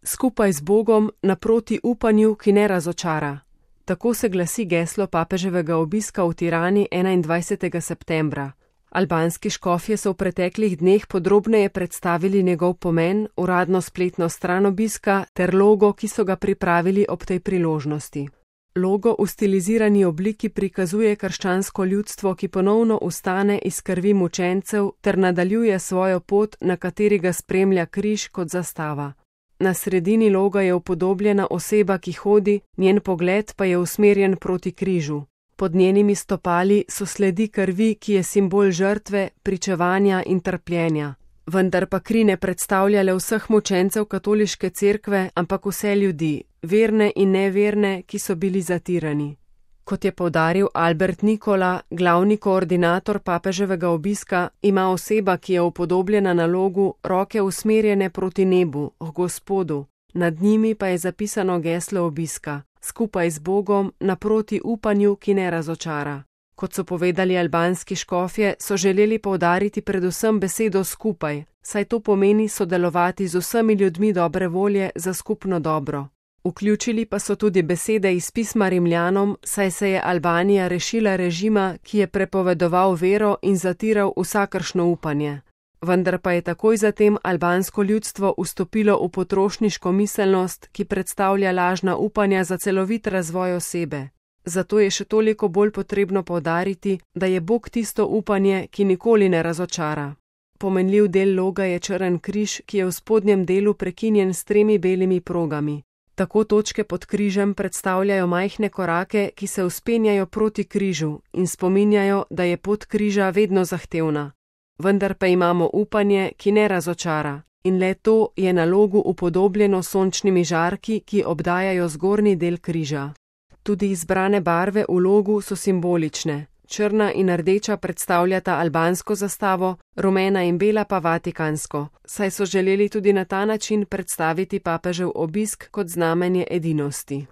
Skupaj z Bogom naproti upanju, ki ne razočara. Tako se glasi geslo papeževega obiska v Tirani 21. septembra. Albanski škofje so v preteklih dneh podrobneje predstavili njegov pomen, uradno spletno stran obiska ter logo, ki so ga pripravili ob tej priložnosti. Logo v stilizirani obliki prikazuje krščansko ljudstvo, ki ponovno vstane iz krvi mučencev ter nadaljuje svojo pot, na kateri ga spremlja križ kot zastava. Na sredini loga je upodobljena oseba, ki hodi, njen pogled pa je usmerjen proti križu. Pod njenimi stopali so sledi krvi, ki je simbol žrtve, pričevanja in trpljenja. Vendar pa kri ne predstavlja le vseh mučencev katoliške cerkve, ampak vse ljudi, verne in neverne, ki so bili zatirani. Kot je poudaril Albert Nikola, glavni koordinator papeževega obiska, ima oseba, ki je upodobljena na logu, roke usmerjene proti nebu, k Gospodu. Nad njimi pa je zapisano geslo obiska: skupaj z Bogom, naproti upanju, ki ne razočara. Kot so povedali albanski škofje, so želeli poudariti predvsem besedo skupaj, saj to pomeni sodelovati z vsemi ljudmi dobre volje za skupno dobro. Vključili pa so tudi besede iz pisma Rimljanom, saj se je Albanija rešila režima, ki je prepovedoval vero in zatiral vsakršno upanje. Vendar pa je takoj zatem albansko ljudstvo vstopilo v potrošniško miselnost, ki predstavlja lažna upanja za celovit razvoj osebe. Zato je še toliko bolj potrebno poudariti, da je Bog tisto upanje, ki nikoli ne razočara. Pomenljiv del loga je črn križ, ki je v spodnjem delu prekinjen s 3 belimi progami. Tako točke pod križem predstavljajo majhne korake, ki se vzpenjajo proti križu in spominjajo, da je pot križa vedno zahtevna. Vendar pa imamo upanje, ki ne razočara, in le to je na logu upodobljeno s sončnimi žarki, ki obdajajo zgornji del križa. Tudi izbrane barve v logu so simbolične. Črna in rdeča predstavljata albansko zastavo, rumena in bela pa vatikansko, saj so želeli tudi na ta način predstaviti papežev obisk kot znamenje edinosti.